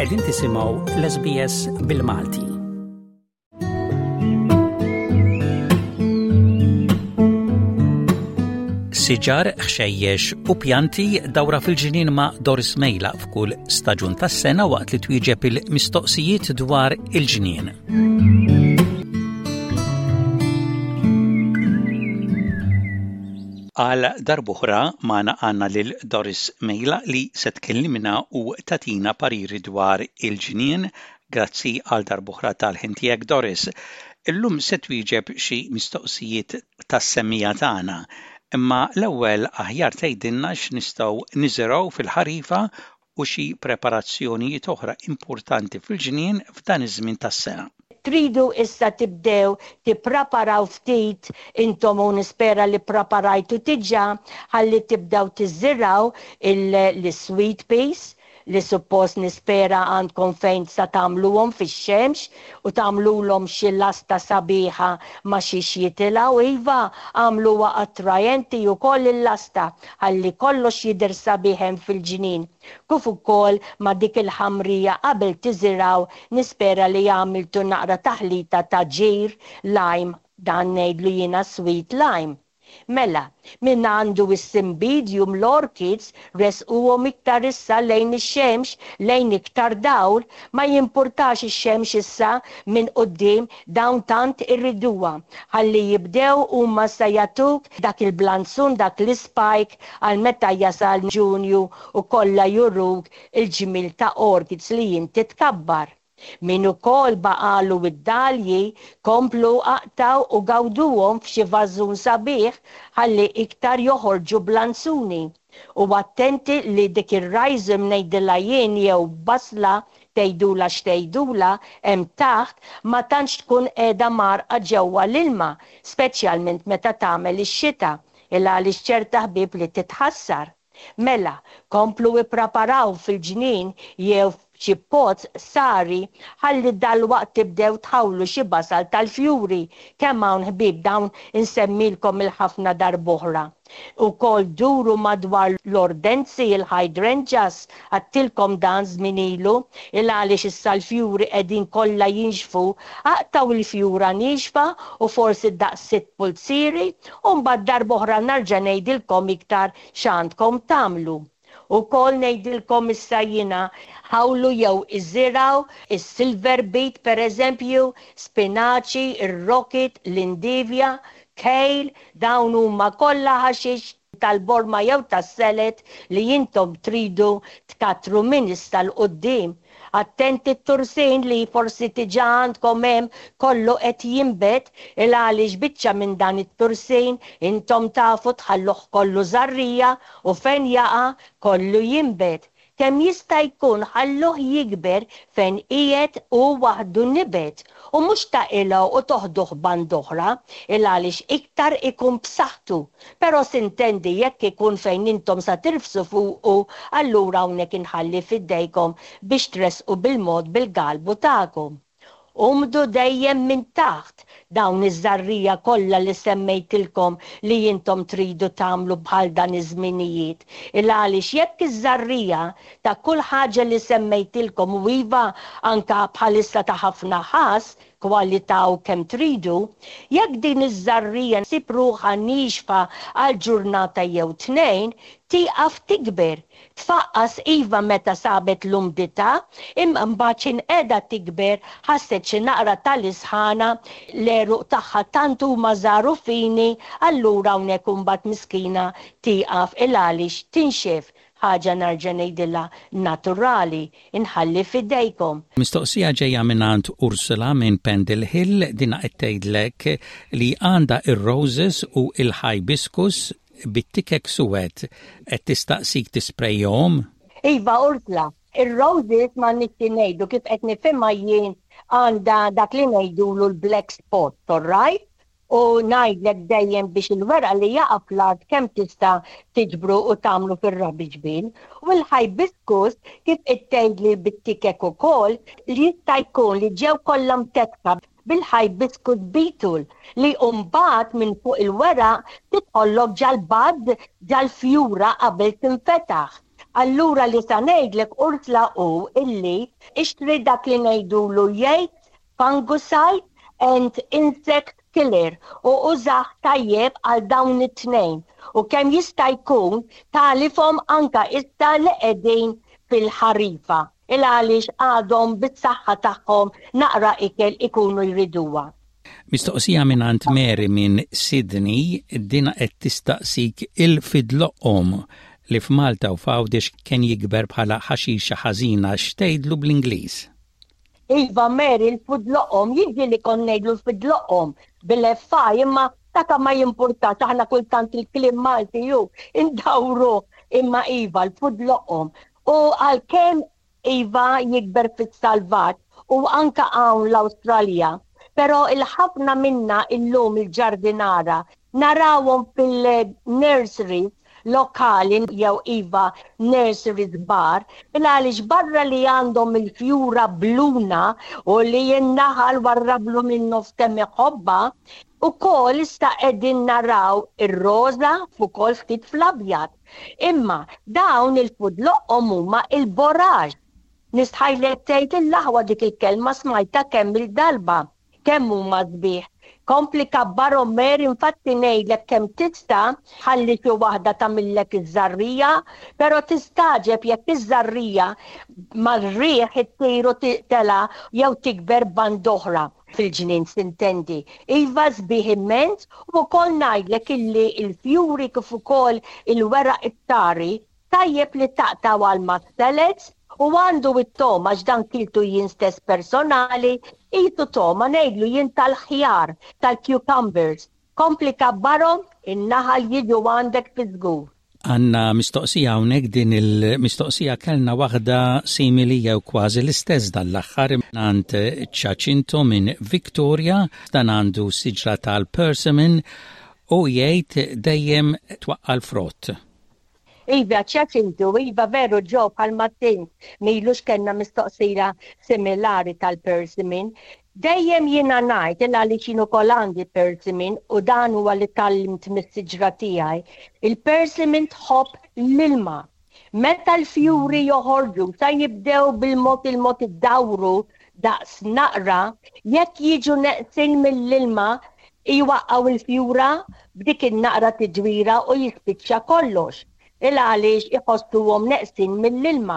Qegħdin tisimgħu l-SBS bil-Malti. Siġar, ħxejjex u pjanti dawra fil-ġnien ma' Doris Mejla f'kull staġun tas-sena waqt li twieġeb il-mistoqsijiet dwar il-ġnien. Għal darb'oħra magħna għandna lil Doris Mejla li se tkellimna u tagħtina pariri dwar il-ġnien. Grazzi għal darb'oħra tal-ħin tiegħek Doris. Illum se twieġeb xi mistoqsijiet tas-semmiegħa tagħna. Imma l-ewwel aħjar tgħidilna x'nistgħu niżirgħu fil-ħarifa u xi preparazzjonijiet oħra importanti fil-ġnien f'dan iż-żmien tas-sena. Tridu issa tibdew tippraparaw ftit intom u nispera li ppraparajtu diġà ħalli tibdew tiżirgħu l-sweet peas li suppost nispera għandkom fejn sa tagħmluhom fix-xemx u tagħmlulhom xi lasta sabiħa ma' xiex jitilgħu iva agħmluha attrajenti wkoll il-lasta ħalli kollox jidher sabiħ hemm fil-ġnien kif ukoll ma' dik il-ħamrija qabel tiżirgħu nispera li għamiltu naqra taħlita ta' ġir lime dan ngħidlu jiena sweet lime. Mela, min għandu s-cymbidium l-orchids ressquhom iktar issa lejn ix-xemx, lejn iktar dawl, ma jimpurtax ix-xemx issa minn quddiem dawn tant irriduha. Ħalli jibdew huma sa jagħtuk dak il-blanzun, dak l-ispike għal meta jasal Ġunju u kollha juruk il-ġmiel ta' orchids li inti tkabbar. Min ukoll baqagħlu d-dalji, komplu aqtgħu u gawduhom f'xi vażun sabiħ ħalli iktar joħorġu blanzuni. U attenti li dik ir-rhizome ngħidilha jien jew basla tgħidulha x'tgħidulha hemm taħt ma tantx tkun qiegħda mgħarrqa ġewwa l-ilma, speċjalment meta tagħmel ix-xita, il-għaliex ċerta ħbieb li titħassar. Mela, komplu ippraparaw fil-ġnien jew f'xi pots sari ħalli dalwaqt tibdew tħawlu xi basal tal-fjuri. Kemm hawn ħbieb dawn insemmilkom il-ħafna darb'oħra. Ukoll duru madwar l-ordenzi, il-hydrangeas, għadtilkom dan żmien ilu, il-għaliex issa l-fjuri qegħdin kollha jinxfu, aqtgħu l-fjura niexfa u forsi daqs sitt pulzieri u mbagħad darb'oħra narġa' ngħidilkom iktar x'għandkom tagħmlu. Ukoll ngħidilkom issa jiena, ħawlu jew iżirgħu is-silver beet pereżempju, spinaċi, ir-rocket, l-indivja, kale, dawn huma kollha ħaxix tal-borma jew tas-salad li intom tridu tkattru minn issa 'l quddiem. Attenti t-tursin li forsi diġà għandkom hemm kollu qed jinbet il għaliex biċċa minn dan it-tursin intom tafu tħalluh kollu żarrija u fejn jaqa' kollu jinbet. Kemm jista' jkun ħalluh jikber fejn qiegħed hu waħdu nibet u mhux taqilgħu u toħduh band'oħra il għaliex iktar ikun b'saħħtu. Però sintendi jekk ikun fejn intom sa tirfsu fuqu allura hawnhekk inħalli f'idejkom biex tressqu bil-mod bil-galbu tagħkom. Umdu dejjem minn taħt dawn iż-żarrija kollha li semmejtilkom li intom tridu tagħmlu bħal dan iż-żminijiet. Il-għaliex jekk iż-żarrija ta' kull ħaġa li semmejtilkom u iva anka bħalissa ta' ħafna ħass, kwalità u kemm tridu, jekk din iż-żarrija ssib ruħha niexfa għal ġurnata jew tnejn, tieqaf tikber. Tfaqqas iva meta sabet l-umdità, imma mbagħad x'in qiegħda tikber ħasset xi naqra tal-isħana, l-għeruq tagħha tant huma żgħar u fini, allura hawnhekk imbagħad miskina tieqaf il-għaliex tinxef, ħaġa nerġa' ngħidilha naturali, inħalli f'idejkom. Mistoqsija ġejja mingħand Ursula minn Pendle Hill, dinha qed tgħidlek li għandha r-roses u l-hibiscus bit-tikek suwed qed tistaqsik tisprejjahom? Iva Ursula, ir-roses m'għandniex xi ngħidu kif qed nifhimha jien għandha dak li ngħidulu l-black spot, all right? U ngħidlek dejjem biex il-werqa li jaqa' fl-art kemm tista' tiġbru u tagħmlu fir-rubbish bin. U l-hibiscus kif qed tgħidli bit-tikek ukoll, jista' jkun li ġew kollha mtetka bil-hibiscus beetle li mbagħad minn fuq il-weraq tidħollok ġal-bud, ġal-fjura qabel tinfetaħ. Allura li sa ngħidlek Ursula hu illi ixtri dak li ngħidulu Yates fungicide and insect killer u użah tajjeb għal dawn it-tnejn u kemm jista' jkun tagħlifhom anka issa li qegħdin fil-ħarifa il għaliex għadhom bis-saħħa tagħhom naqra ikel ikunu jriduha. Mistoqsija mingħand Mary minn Sydney, din qed tistaqsik il-fidloqqom li f'Malta u f'Għawdex kien jikber bħala ħaxixa ħażina x'tgħidlu bl-Ingliż? Iva Mary l-fudloqom, jiġi li kont ngħidlu l-fidloqom bil-FI imma daka ma jimpurtax aħna kultant il-kliem Malti ju indawruh imma iva l-fudloqom. U għalkemm iva jikber fis-salvaġġ u anka hawn l-Awstralja, però il-ħafna minna illum il-ġardinara narawhom fil-nurseries lokali jew iva nurseries kbar, il-għaliex barra li għandhom il-fjura bluna u li n-naħal warrablu minnu f'kemm iħobbha, ukoll issa qegħdin naraw ir-roża f'ukoll ftit fl-abjad. Imma dawn il-fudloqqhom huma il-borage. Nistħajlek tgħid il-aħwa dik il-kelma smajtha kemm-il darba. Kemm huma sbieħ. Kompli kabbarhom Mary infatti ngħidlek kemm tista' ħalli xi waħda tagħmillek iż-żarrija, però tistagħġeb jekk iż-żarrija mar-riħ ittir u tela' jew tikber band'oħra fil-ġnien sintendi. Iva sbieħ immens u wkoll ngħidlek illi l-fjuri kif ukoll il-weraq it-tari Tajjeb li taqtgħu għal mas-salads u għandu it-togħma għax dan kiltu jien stess personali, qisu togħma ngħidlu jien tal-ħjar, tal-cucumbers. Kompli kabbarhom, in-naħal jiġu għandek fiż-żgur. Għandna mistoqsija hawnhekk, din il-mistoqsija kellna waħda simili jew kważi l-istess dan l-aħħar mingħand Ċaċinto minn Victoria, dan għandu siġra tal-persimmon u jgħid dejjem twaqqa' l-frott. Iva, ċaċintu, iva veru Joe bħalma tint m'ilux kellna mistoqsija similari tal-persimmon. Dejjem jiena ngħid il għaliex jien ukoll għandi persimmon u dan huwa li tgħallimt mis-siġra tiegħi, il-persimmon tħobb l-ilma. Meta l-fjuri joħorġu sa jibdew bil-mod il-mod iddawru daqs naqra, jekk jiġu neqsin mill-ilma jwaqqgħu l-fjura b'dik in-naqra tidwira u jispiċċa kollox. Il għaliex iħossuhom neqsin mill-ilma.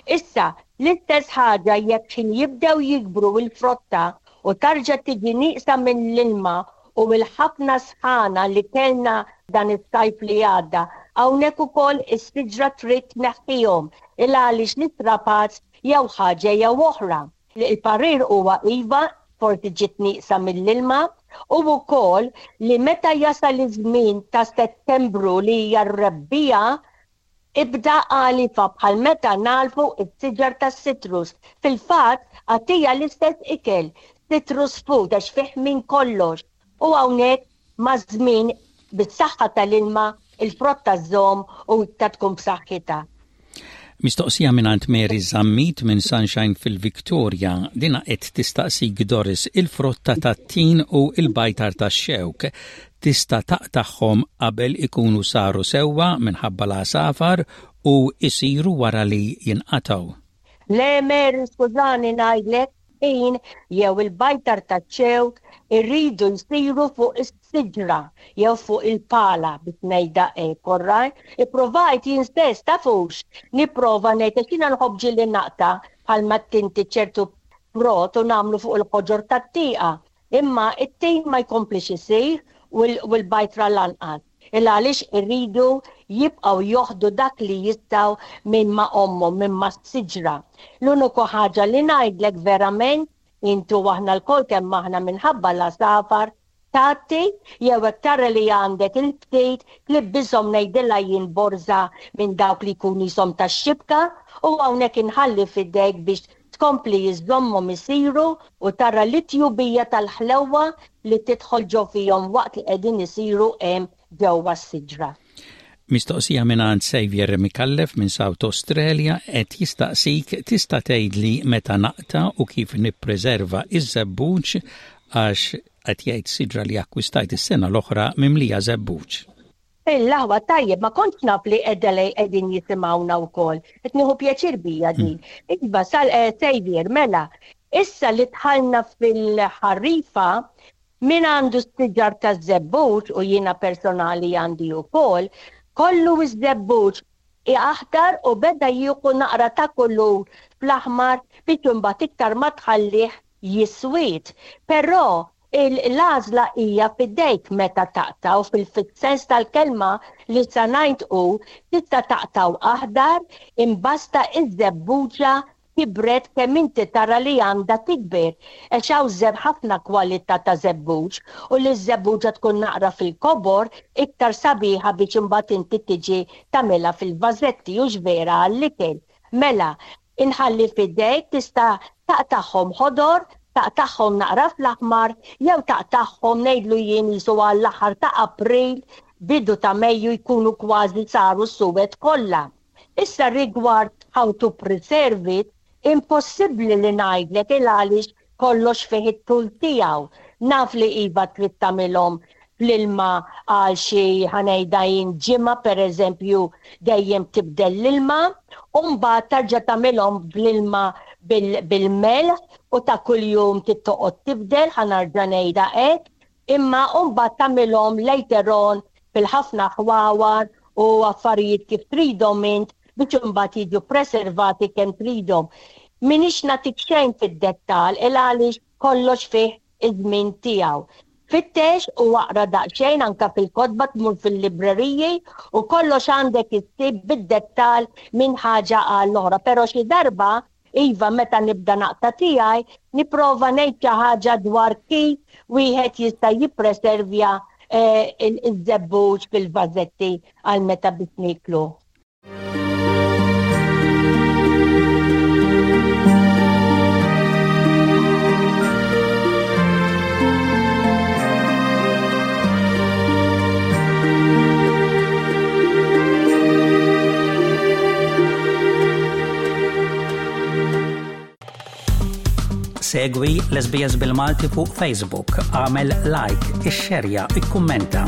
Issa, l-istess ħaġa jekk x'ħin jibdew jikbru l-frotta u tarġa' tiġi nieqsa mill-ilma u l-ħafna sħana li kellna dan is-sajf li għadda, hawnhekk ukoll is-siġra trid tneħħihom il għaliex l-istrapazz jew ħaġa jew oħra. Il-parir huwa iva, forsi ġiet nieqsa mill-ilma, u wkoll li meta jasal iż-żmien ta' Settembru li hija r-rebbiegħa, ibda għalifha bħal meta nagħlfu s-siġar tas-citrus. Fil-fatt, agħtiha l-istess ikel, citrus food għax fih minn kollox. U hawnhekk Maż-żmien, bis-saħħa tal-ilma, il-frotta żżomm u iktar tkun b'saħħitha. Mistoqsija mingħand Mary Zammit minn Sunshine fil-Victoria. Dinha qed tistaqsik Doris, il-frotta tat-tin u l-bajtar tax-xewk tista' taqtagħhom qabel ikunu saru sewwa minħabba l-għasafar u jsiru wara li jinqatgħu? Le Mary skużani ngħidlek, tin jew il-bajtar taċ-ċewk iridu jsiru fuq is-siġra jew fuq il-pala biex ngħidha hekk, all right? Ipprovajt jien stess, tafux, nipprova ngħid għax jiena nħobb ġieli naqta' bħalma tinti ċertu frott u nagħmlu fuq il-ħoġor tat-tieqa. Imma it-tin ma jkomplix isir u l-bajtra lanqas. Il għaliex iridu jibqgħu joħdu dak li jistgħu minn ma' ommhom, minn mas-siġra. L-uniku ħaġa li ngħidlek verament, int u aħna lkoll kemm aħna minħabba l-għasafar, tgħatti jew hekk tara li għandek il-ftit tlibbishom ngħidilha jien borża minn dawk li jkunu qishom tax-xibka u hawnhekk inħalli f'idejk biex tkompli iżżommhom isiru u tara l-itjubija tal-ħlewwa li tidħol ġo fihom waqt li qegħdin isiru hemm ġewwa s-siġra. Mistoqsija mingħand Saviour Micallef minn South Australia qed jistaqsik tista' tgħidli meta naqta' u kif nippreserva iż-żebbuġ għax qed jgħid siġra li akkwistajt is-sena l-oħra mimlija żebbuġ. Il-laħwa tajjeb, ma kontx naf li Adelaide qegħdin jisimgħuna wkoll. Qed nieħu pjaċir bija din. Iva, sal eh, Xavier, mela, issa li dħalna fil-ħarifa, min għandu s-siġar taż-żebbuġ u jiena personali għandi wkoll, kollu ż-żebbuġ aħdar u beda jieħu naqra ta' kulur fl-aħmar biex imbagħad iktar ma tħallih jiswied. Però l-għażla hija f'idejk meta taqtgħu fil-sens tal-kelma li sa ngħid hu tista' taqtgħu aħdar imbasta iż-żebbuġa kibret kemm inti tara li għandha tikber għax hawn żeb ħafna kwalità ta' żebbuġ u li ż-żebbuġa tkun naqra fil-kobor iktar sabiħa biex imbagħad inti tiġi tagħmilha fil-vażetti hux vera għall-ikel. Mela, Inħalli f'idejk tista' taqtagħhom ħodor, taqtagħhom naqra fl-aħmar jew taqtagħhom ngħidlu jien qisu għall-aħħar ta' April, bidu ta' Mejju jkunu kważi saru suwed kollha. Issa rigward how to preserve it, impossibbli li ngħidlek il-għaliex kollox fih it-tul tiegħu. Naf li iva trid tagħmilhom fl-ilma għal xi ħa ngħidha jien ġimgħa pereżempju dejjem tibdel l-ilma u mbagħad terġa' tagħmilhom bl-ilma bil-melħ u ta' kuljum trid toqgħod tibdel ħa nerġa' ngħidha hekk imma u mbagħad tagħmilhom later on fil-ħafna ħwawar u affarijiet kif tridhom int biex imbagħad jiġu preservati kemm tridhom. M'iniex nagħtik xejn fid-dettall il għaliex kollox fih iż-żmien tiegħu. Fittex u aqra daqsxejn anke fil-kotba tmur fil-libreriji u kollox għandek issib bid-dettall minn ħaġa għall-oħra. Però xi darba, iva meta nibda naqta' tiegħi, nipprova ngħid xi ħaġa dwar kif wieħed jista' jippreservja iż-żebbuġ fil-vażetti għal meta biex niekluh. Segwi l-SBS bil-Malti fuq Facebook, għamel like, ixxerja, ikkummenta.